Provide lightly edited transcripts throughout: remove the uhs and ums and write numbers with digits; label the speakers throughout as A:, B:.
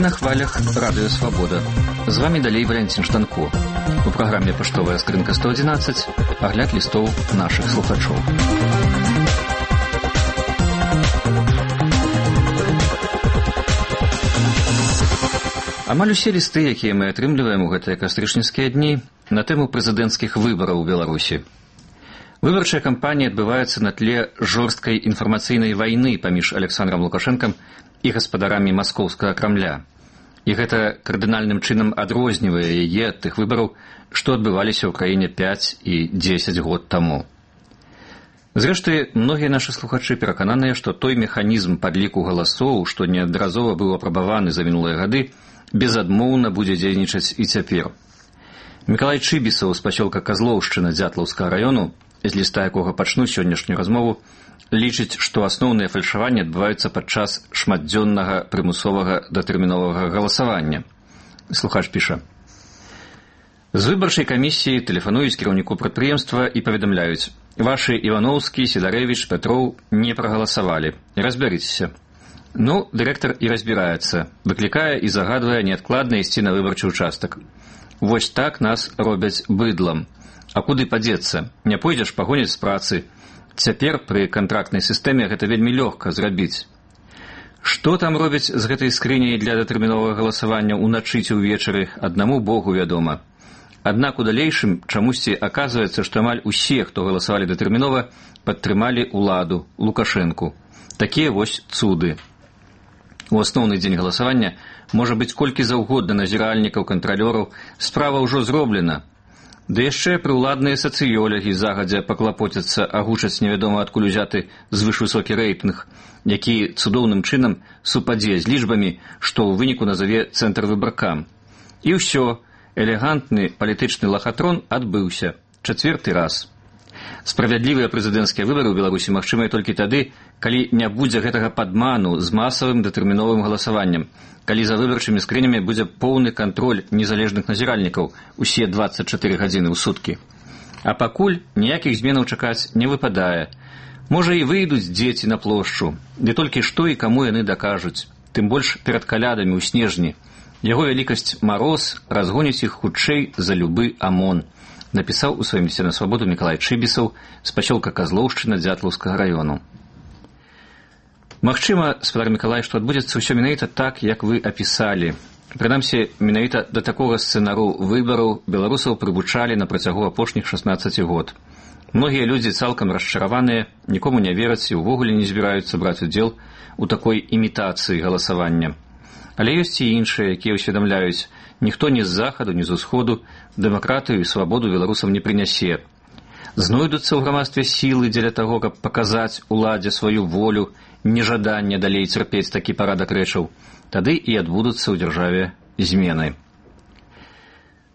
A: на хвалях Радыё Свабода. З вами далей Валянцін Штанко. У праграме «Паштовая скрынка 111» агляд лістоў нашых слухачоў. Амаль усе лісты, якія мы атрымліваем у гэтыя кастрычніцкія дні, на тэму прэзідэнцкіх выбараў у Беларусі. Выбарчая кампанія адбываецца на тле жорсткай інфармацыйнай вайны паміж Александром Лукашэнкам і гаспадарамі маскоўскага Крамля. І гэта кардынальным чынам адрознівае яе ад тых выбараў, што адбываліся ў краіне 5 і 10 год таму. Зрэшты, многія нашы слухачы перакананыя, што той механізм падліку галасоў, што неаднаразова быў апрабаваны за мінулыя гады, безадмоўна будзе дзейнічаць і цяпер. Мікалай Чыбісаў з пасёлка Казлоўшчына Дзятлаўскага раёну, з ліста якога пачну сённяшнюю размову, лічыць, што асноўныя фальшаванні адбываюцца падчас шматдзённага прымусовага датэрміновага галасавання. Слухач піша: з выбарчай камісіі тэлефануюць кіраўніку прадпрыемства і паведамляюць: вашы Івановскі, Сідарэвіч, Пятроў не прагаласавалі. Разбярыцеся. Ну, дырэктар і разбіраецца, выклікае і загадвае неадкладна ісці на выбарчы ўчастак. Вось так нас робяць быдлам. А куды падзецца? Не пойдзеш пагоняць з працы. Цяпер пры кантрактнай сістэме гэта вельмі лёгка зрабіць. Што там робяць з гэтай скрыняй для датэрміновага галасавання ўначы ці ўвечары, аднаму Богу вядома. Аднак у далейшым чамусьці аказваецца, што амаль усе, хто галасавалі датэрмінова, падтрымалі ўладу, Лукашэнку. Такія вось цуды. У асноўны дзень галасавання можа быць колькі заўгодна назіральнікаў, кантралёраў, справа ўжо зроблена. Ды яшчэ прыўладныя сацыёлагі загадзя паклапоцяцца агучаць невядома адкуль узяты звышвысокі рэйтынг, які цудоўным чынам супадзе з лічбамі, што ў выніку назаве цэнтр выбаркам. І ўсё, элегантны палітычны лахатрон адбыўся. 4-й раз. Справядлівыя прэзідэнцкія выбары ў Беларусі магчымыя толькі тады, калі не будзе гэтага падману з масавым датэрміновым галасаваннем, калі за выбарчымі скрынямі будзе поўны кантроль незалежных назіральнікаў усе 24 гадзіны ў суткі. А пакуль ніякіх зменаў чакаць не выпадае. Можа і выйдуць дзеці на плошчу, ды толькі што і каму яны дакажуць, тым больш перад калядамі ў снежні. Яго вялікасць Мароз разгоніць іх хутчэй за любы АМОН, напісаў у сваім лісце на свабоду Мікалай Чыбісаў з пасёлка Казлоўшчына Дзятлаўскага раёну. Магчыма, спадар Мікалай, што адбудзецца ўсё менавіта так, як вы апісалі. Прынамсі, менавіта да такога сцэнару выбараў беларусаў прывучалі на працягу апошніх 16 год. Многія людзі цалкам расчараваныя, нікому не вераць і ўвогуле не збіраюцца браць удзел у такой імітацыі галасавання. Але ёсць і іншыя, якія ўсведамляюць: ніхто ні з захаду, ні з усходу дэмакратыю і свабоду беларусам не прынясе. Знойдуцца ў грамадстве сілы дзеля таго, каб паказаць уладзе сваю волю, нежаданне далей цярпець такі парадак рэчаў. Тады і адбудуцца ў дзяржаве змены.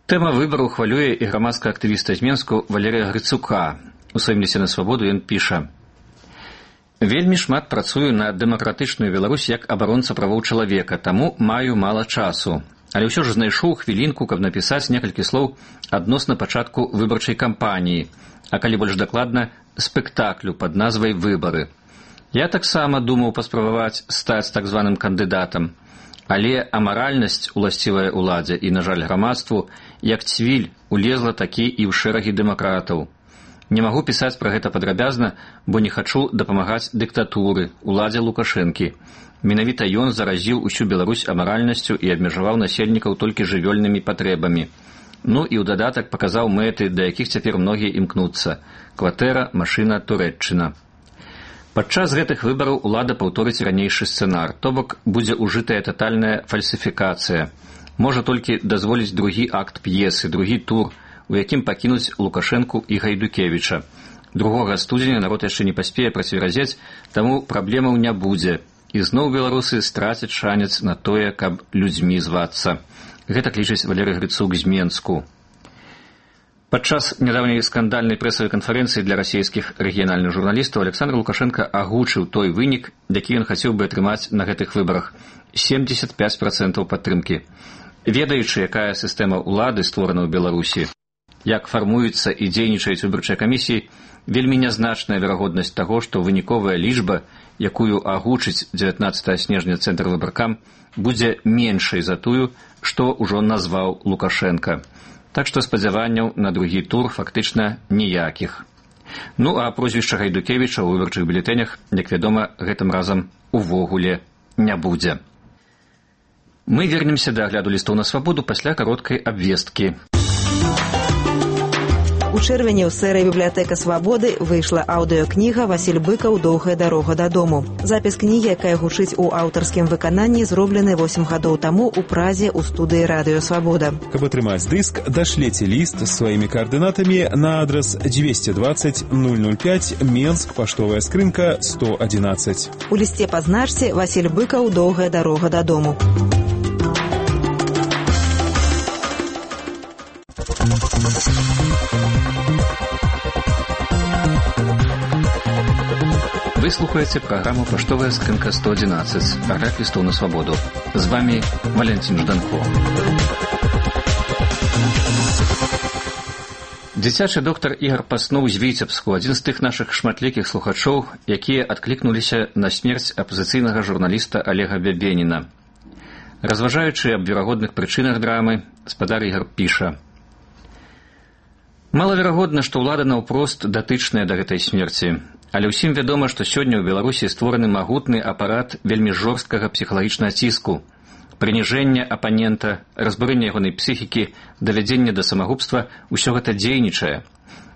A: Тэма выбараў хвалюе і грамадскага актывіста з Менску Валерыя Грыцука. У сваім лісце на свабоду ён піша: вельмі шмат працую на дэмакратычную Беларусь як абаронца правоў чалавека, таму маю мала часу. Але ўсё ж знайшоў хвілінку, каб напісаць некалькі слоў адносна пачатку выбарчай кампаніі, а калі больш дакладна, спектаклю пад назвай «Выбары». Я таксама думаў паспрабаваць стаць так званым кандыдатам, але амаральнасць, уласцівая ўладзе і, на жаль, грамадству, як цвіль, улезла такі і ў шэрагі дэмакратаў. Не магу пісаць пра гэта падрабязна, бо не хачу дапамагаць дыктатуры, уладзе Лукашэнкі. Менавіта ён заразіў усю Беларусь амаральнасцю і абмежаваў насельнікаў толькі жывёльнымі патрэбамі. Ну і ў дадатак паказаў мэты, да якіх цяпер многія імкнуцца: кватэра, машына, Турэччына. Падчас гэтых выбараў улада паўторыць ранейшы сцэнар, то бок будзе ўжытая татальная фальсіфікацыя. Можа толькі дазволіць другі акт п'есы, другі тур, у якім пакінуць Лукашэнку і Гайдукевіча. 2 студзеня народ яшчэ не паспее працверазець, таму праблемаў не будзе. І зноў беларусы страцяць шанец на тое, каб людзьмі звацца. Гэта лічыць Валерый Грыцук з Менску. Падчас нядаўняй скандальнай прэсавай канферэнцыі для расійскіх рэгіянальных журналістаў Александр Лукашенко агучыў той вынік, які ён хацеў бы атрымаць на гэтых выбарах – 75% падтрымкі. Ведаючы, якая сістэма ўлады створана ў Беларусі, як фармуюцца і дзейнічаюць выбарчыя камісіі, вельмі нязначная верагоднасць таго, што выніковая лічба, якую агучыць 19 снежня Цэнтр выбаркам, будзе меншай за тую, што ўжо назваў Лукашенка. Так што спадзяванняў на другі тур фактычна ніякіх. Ну а прозвішча Гайдукевіча ў выбарчых бюлетэнях, як вядома, гэтым разам увогуле не будзе. Мы вернемся да агляду лістоў на свабоду пасля кароткай абвесткі.
B: У чэрвені ў серыі «Бібліятэка свабоды» выйшла аўдыёкніга «Васіль Быкаў. Доўгая дарога дадому». Запіс кнігі, якая гучыць у аўтарскім выкананні, зроблены 8 гадоў таму ў Празе ў студыі «Радыё Свабода».
C: Каб атрымаць дыск, дашлеце ліст з сваімі каардынатамі на адрас 220 005 Менск, паштовая скрынка 111.
B: У лісце пазначце «Васіль Быкаў. Доўгая дарога дадому».
A: Вы слухаеце праграму «Паштовая скрынка 111», агляд лістоў на свабоду. З вами Валентин Жданко. Дзіцячы доктар Ігар Пасноў з Віцебску, адзін з тых нашых шматлікіх слухачоў, якія адклікнуліся на смерць апазіцыйнага журналіста Олега Бябеніна. Разважаючы аб верагодных прычынах драмы, спадар Ігар піша: «Малаверагодна, што ўлада наўпрост датычная да гэтай смерці. Але ўсім вядома, што сёння ў Беларусі створаны магутны апарат вельмі жорсткага псіхалагічнага ціску, прыніжэння апанента, разбурэння ягонай псіхікі, давядзення да самагубства – усё гэта дзейнічае.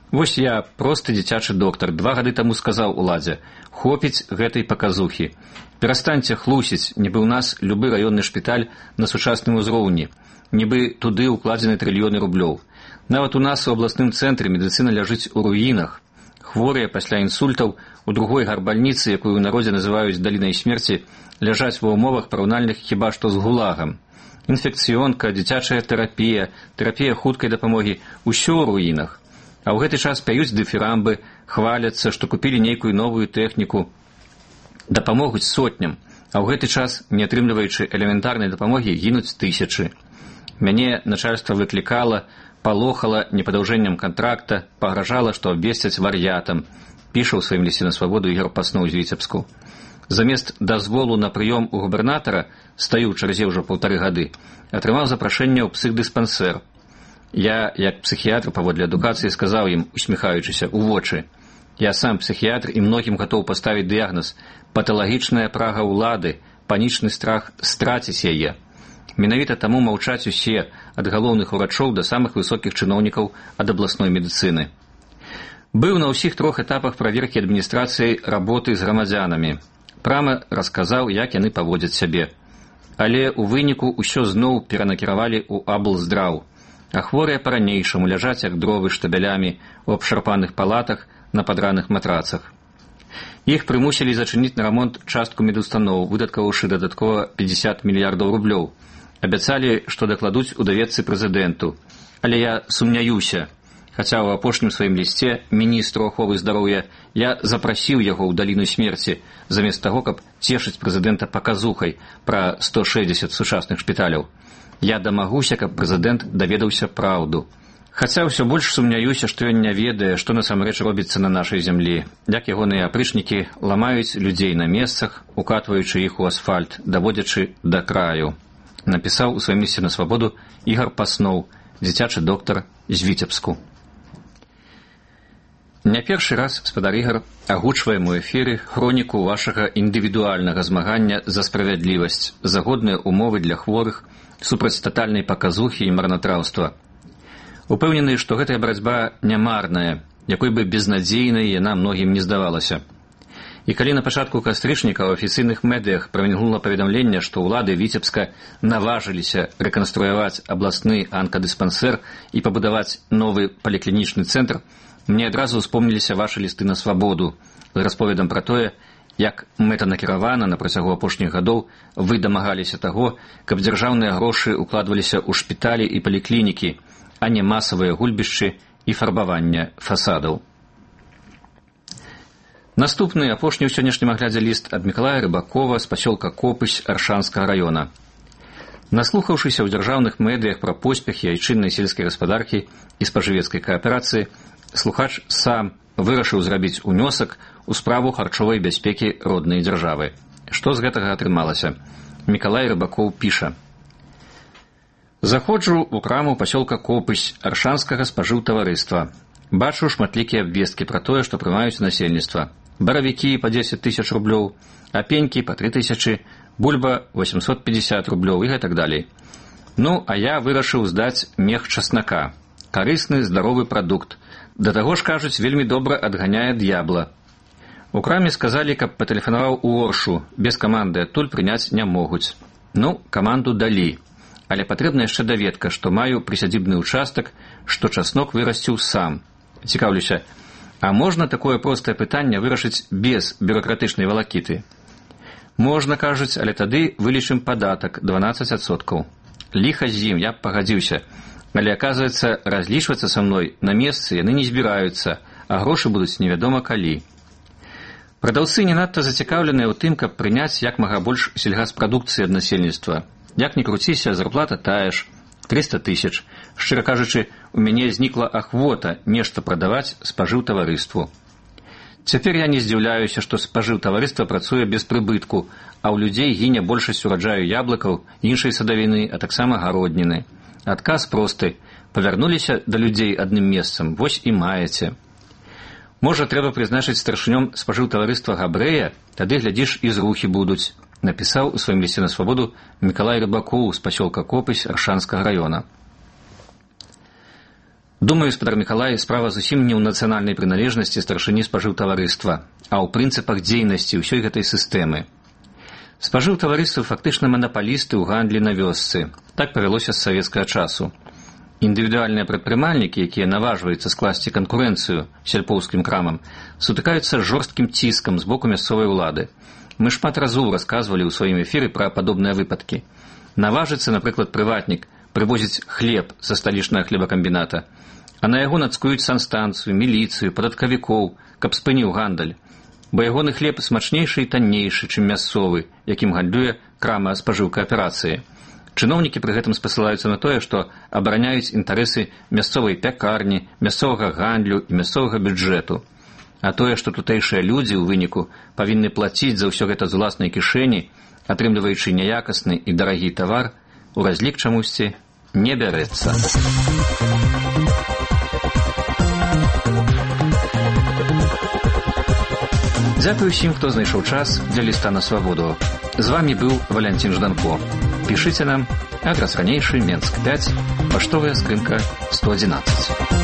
A: Вось я, просты дзіцячы доктар, 2 гады таму сказаў уладзе: хопіць гэтай паказухі. Перастаньце хлусіць, нібы ў нас любы раённы шпіталь на сучасным узроўні, нібы туды ўкладзены трыльёны рублёў. Нават у нас у абласным цэнтры медыцына ляжыць у руінах. Хворыя пасля інсультаў у другой гарбальніцы, якую ў народзе называюць далінай смерці, ляжаць ва ўмовах параўнальных хіба што з гулагам. Інфекцыёнка, дзіцячая тэрапія, тэрапія хуткай дапамогі – усё ў руінах. А ў гэты час пяюць дыфірамбы, хваляцца, што купілі нейкую новую тэхніку, дапамогуць сотням, а ў гэты час, не атрымліваючы элементарнай дапамогі, гінуць тысячы. Мяне начальства выклікала, палохала непадаўжэннем кантракта, пагражала, што абвесцяць вар'ятам, піша ў сваім лісце на свабоду Ігар Пасноў з Віцебску. Замест дазволу на прыём у губернатара, стаю ў чарзе ўжо 1,5 гады, атрымаў запрашэнне ў псіхдыспансер. Я, як псіхіятр паводле адукацыі, сказаў ім, усміхаючыся, у вочы: я сам псіхіятр і многім гатоў паставіць дыягназ: паталагічная прага ўлады, панічны страх страціць яе. Менавіта таму маўчаць усе, ад галоўных урачоў да самых высокіх чыноўнікаў ад абласной медыцыны. Быў на ўсіх 3 этапах праверкі адміністрацыі работы з грамадзянамі. Прама расказаў, як яны паводзяць сябе. Але ў выніку ўсё зноў перанакіравалі ў аблздраў, а хворыя па-ранейшаму ляжаць як дровы штабелямі ў абшарпаных палатах на падраных матрацах. Іх прымусілі зачыніць на рамонт частку медустаноў, выдаткаваўшы дадаткова 50 мільярдаў рублёў. Абяцалі, што дакладуць у даведцы прэзідэнту. Але я сумняюся, хаця ў апошнім сваім лісце міністру аховы здароўя я запрасіў яго ў даліну смерці, замест таго, каб цешыць прэзідэнта паказухай пра 160 сучасных шпіталяў. Я дамагуся, каб прэзідэнт даведаўся праўду. Хаця ўсё больш сумняюся, што ён не ведае, што насамрэч робіцца на нашай зямлі, як ягоныя апрычнікі ламаюць людзей на месцах, укатваючы іх у асфальт, даводзячы да краю. Напісаў у сваім лісце на свабоду Ігар Пасноў, дзіцячы доктар з Віцебску. Не першы раз спадар Ігар агучваем у эфіры хроніку вашага індывідуальнага змагання за справядлівасць, за годныя умовы для хворых, супраць татальнай паказухі і марнатраўства. Упэўнены, што гэтая барацьба нямарная, якой бы безнадзейнай яна многім не здавалася. І калі на пачатку кастрычніка ў афіцыйных медыях прамільгнула паведамленне, што ўлады Віцебска наважыліся рэканструяваць абласны анкадыспансер і пабудаваць новы паліклінічны цэнтр, мне адразу ўспомніліся вашы лісты на свабоду з расповедам пра тое, як мэтанакіравана на працягу апошніх гадоў вы дамагаліся таго, каб дзяржаўныя грошы укладваліся ў шпіталі і паліклінікі, а не масавыя гульбішчы і фарбавання фасадаў. Наступны, апошні ў сённяшнім аглядзе ліст ад Мікалая Рыбакова з пасёлка Копысь Аршанскага раёна. Наслухаўшыся ў дзяржаўных медыях пра поспехі айчыннай сельскай гаспадаркі і спажывецкай кааперацыі, слухач сам вырашыў зрабіць унёсак у справу харчовай бяспекі роднай дзяржавы. Што з гэтага атрымалася? Мікалай Рыбакоў піша: «Заходжу ў краму пасёлка Копысь аршанскага спажыўтаварыства. Бачу шматлікія абвесткі пра тое, што прымаюць насельніцтва. Баравікі па 10 000 рублёў, апенькі па 3 000, бульба 850 рублёў і гэтак далей. Ну, а я вырашыў здаць мех часнака. Карысны, здаровы прадукт. Да таго ж, кажуць, вельмі добра адганяе д'ябла. У краме сказалі, каб патэлефанаваў у Оршу, без каманды адтуль прыняць не могуць. Ну, каманду далі. Але патрэбна яшчэ даведка, што маю прысядзібны ўчастак, што часнок вырасціў сам. Цікаўлюся, а можна такое простае пытанне вырашыць без бюрократычнай валакіты? Можна, кажуць, але тады вылічым падатак 12%. Ліха з ім, я б пагадзіўся. Але, аказваецца, разлічвацца са мной на месцы яны не збіраюцца, а грошы будуць невядома калі. Прадаўцы не надта зацікаўленыя ў тым, каб прыняць як мага больш сельгаспрадукцыі ад насельніцтва. Як ні круціся, зарплата тая ж, 300 000. Шчыра кажучы, у мяне знікла ахвота нешта прадаваць спажыўтаварыству. Цяпер я не здзіўляюся, што спажыўтаварыства працуе без прыбытку, а ў людзей гіне большасць ураджаю яблыкаў, іншай садавіны, а таксама гародніны. Адказ просты. Павярнуліся да людзей адным месцам, вось і маеце. Можа, трэба прызначыць старшынём спажыўтаварыства Габрэя, тады, глядзіш, і зрухі будуць, напісаў у сваім лісце на свабоду Мікалай Рыбакоў з пасёлка Копысь Аршанскага раёна. Думаю, спадар Мікалай, справа зусім не ў нацыянальнай прыналежнасці старшыні спажыўтаварыства, а ў прынцыпах дзейнасці ўсёй гэтай сістэмы. Спажыўтаварыствы фактычна манапалісты ў гандлі на вёсцы. Так павялося з савецкага часу. Індывідуальныя прадпрымальнікі, якія наважваюцца скласці канкурэнцыю сельпоўскім крамам, сутыкаюцца з жорсткім ціскам з боку мясцовай улады. Мы шмат разоў расказвалі ў сваім эфіры пра падобныя выпадкі. Наважыцца, напрыклад, прыватнік прывозіць хлеб са сталічнага хлебакамбіната, а на яго нацкуюць санстанцыю, міліцыю, падаткавікоў, каб спыніў гандаль. Бо ягоны хлеб смачнейшы і таннейшы, чым мясцовы, якім гандлюе крама спажыўкааперацыі. Чыноўнікі пры гэтым спасылаюцца на тое, што абараняюць інтарэсы мясцовай пякарні, мясцовага гандлю і мясцовага бюджэту. А тое, што тутэйшыя людзі ў выніку павінны плаціць за ўсё гэта з уласнай кішэні, атрымліваючы няякасны і дарагі тавар, у разлік чамусьці не бярэцца. Дзякую ўсім, хто знайшоў час для ліста на свабоду. З вамі быў Валянцін Жданко. Пішыце нам, адрас ранейшы, Менск 5, паштовая скрынка 111.